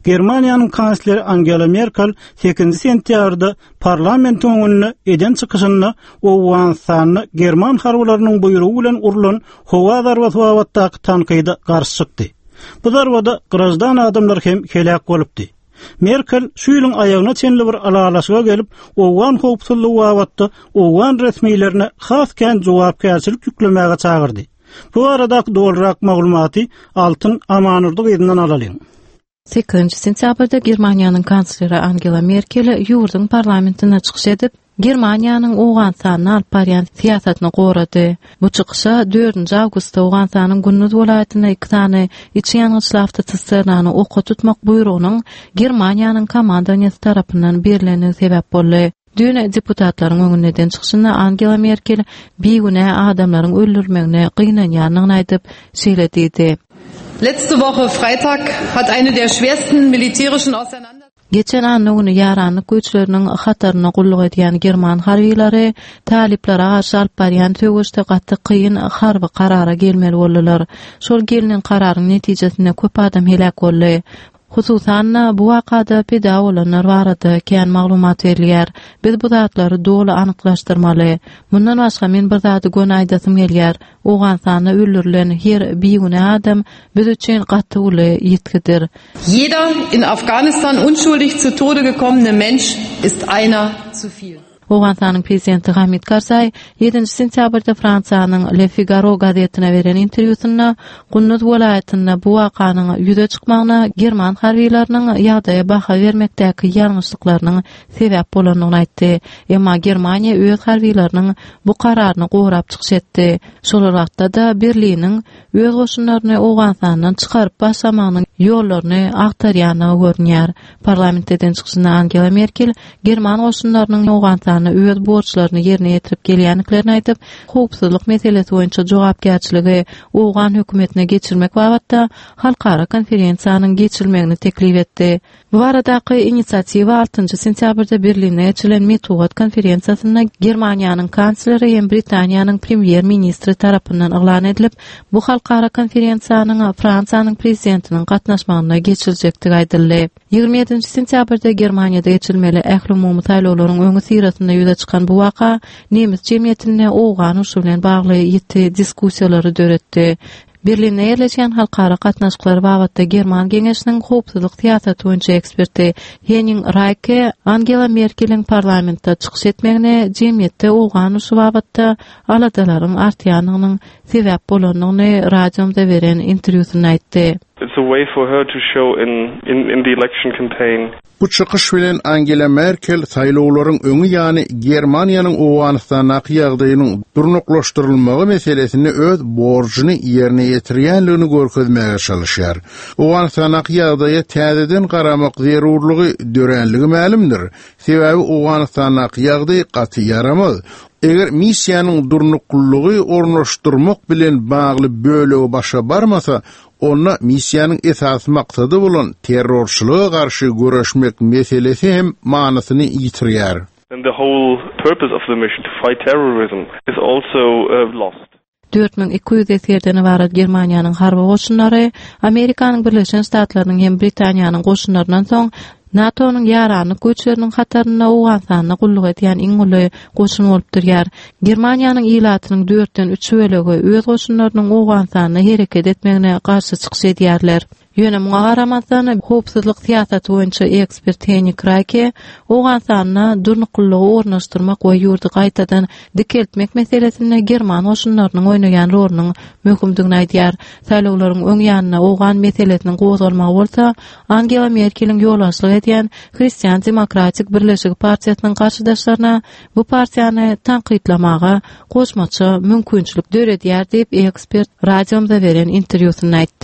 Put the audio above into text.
Germaniýanyň kansleri Angela Merkel sekizinji sentýabrda parlamentiň öňünde eden çykyşynda Owganystanda german harbylarynyň buýrugy bilen urlan howa zarbasy babatdaky tankyda garşy çykdy. Bu zarbada graždan adamlar hem heläk bolupdy. Merkel şu ýylyň aýagyna çenli bir ylalaşyga gelip, owgan howpsuzlygy babatda owgan resmilerine has kän jogapkärçilik ýüklemäge çagyrdy. Bu baradaky dolurak maglumaty Altyn Amanurdy gyzyndan alalyň. Sekizinji sentýabrda Germaniýanyň kansleri Angela Merkel ýurduň parlamentinde çykyş edip, Germaniýanyň Owganystanda alyp barýan syýasatyny gorady. Bu çykyşa dördünji awgustda Owganystanyň Günduz welaýatynda iki sany içi ýangyçly awtosisternany oka tutmak buýrugynyň Germaniýanyň komandowaniýesi tarapyndan berlendigi sebäp boldy. Düýn deputatlaryň öňünde eden çykyşynda Angela Merkel bigünä adamlaryň öldürilmegine gynanýandygyny aýdyp, şeýle diýdi. Letzte Woche Freitag hat eine der schwersten militärischen Auseinandersetzungen. Geçen anna güni ýaranlyk güýçleriniň hatarynda gulluk edýän german harbylary talyplara garşy alyp barýan söweşde gaty kyn harby karara gelmeli boldular. Şol gelnen kararyň netijesinde köp adam heläk boldy. Hususan-da, bu wakada pida bolanlar barada kän maglumat berilýär. Biz bu zatlary doly anyklaşdyrmaly. Mundan başga men bir zady göni aýdasym gelýär. Owganystanda öldürilen her bigünä adam biz üçin gaty uly ýitgidir. Jeder in Afghanistan unschuldig zu Tode gekommene Mensch ist einer zu viel. Owganystanyň prezidenti Hamid Karzaý ýedinji sentýabrda Fransiýanyň Le Figaro gazetine beren interwýusynda Gunduz welaýatynda bu wakanyň ýüze çykmagyna german harbylarynyň ýagdaýa baha bermekdäki ýalňyşlyklarynyň sebäp bolandygyny aýtdy. Emma Germaniýa öz harbylarynyň bu kararyny gorap çykyş etdi. Şol bir wagtda-da Berliniň öz goşunlaryny Owganystandan çykaryp başlamagynyň ýollaryny agtarýandygy görünýär. Parlamentde eden çykyşynda Angela Merkel german goşunlarynyň Owganystanda öz borçlaryny ýerine ýetirip gelýändiklerini aýdyp, howpsuzlyk meselesi boýunça jogapkärçiligi owgan hökümetine geçirmek babatda halkara konferensiýanyň geçirilmegini teklip etdi. Bu baradaky inisiatiwa altynjy sentýabrda Berlinde geçirilen metbugat konferensiýasynda Germaniýanyň kansleri hem Britaniýanyň premýer-ministri tarapyndan yglan edilip, bu halkara konferensiýanyň Fransiýanyň prezidentiniň gatnaşmagynda geçiriljekdigi aýdyldy. 27-nji sentýabrda Germaniýada geçirilmeli ählumumy saýlawlaryň öňüsyrasynda ýüze çykan bu waka nemes jemgyýetinde owgan urşy bilen bagly ýiti diskussiýalary döretdi. Berlinde ýerleşýän Halkara gatnaşyklary babatda German geňeşiniň howpsuzlyk syýasaty boýunça eksperti Henning Raýke Angela Merkeliň parlamentde çykyş etmegine jemgyýetde owgan urşy babatda aladalaryň artýandygynyň sebäp bolandygyny radiomyza beren interwýusynda aýtdy. It's a way for her to show in in the election campaign. Bu çykyş bilen Angela Merkel saýlawlaryň öňi ýany Germaniýanyň Owganystandaky ýagdaýynyň durnuklaşdyrylmagy meselesinde öz borjuny ýerine ýetirýänligini görkezmäge çalyşýar. Owganystandaky ýagdaýa täzeden garamak zerurlygy döränligi mälimdir. Sebäbi Owganystandaky ýagdaý gaty ýaramaz. Eger missiýanyň durnuklylygy ornaşdyrmak bilen bagly bölegi başa barmasa, onda missiýanyň esasy maksady bolan terrorçylyga garşy göreşmek meselesi hem manysyny ýitirýär. Then the whole purpose of the mission to fight terrorism is also lost. 4200 esgerden ybarat Germaniýanyň harby goşunlary Amerikanyň Birleşen Ştatlarynyň hem Britaniýanyň goşunlaryndan soň NATO-nyň ýaranlyk güýçleriniň hatarynda Owganystanda gulluk edýän iň uly goşun bolup durýar. Germaniýanyň ilatynyň dörtden üç bölegi öz goşunlarynyň Owganystanda hereket etmegine garşy çykyş edýärler. Ýöne muňa garamazdan, howpsuzlyk syýasaty boýunça ekspert Henning Raýke Owganystanda durnuklylygy ornaşdyrmak we ýurdy gaýtadan dikeltmek meselesinde german goşunlarynyň oýnaýan rolunyň möhümdigini aýdýar. Saýlawlaryň öň ýanynda owgan meselesiniň gozgalmagy bolsa Angela Merkeliň ýolbaşçylyk edýän Hristian demokratik birleşigi partiýasynyň garşydaşlaryna bu partiýany tankytlamaga goşmaça mümkinçilik döredýär diýip, ekspert radiomyza beren interwýusynda aýtdy.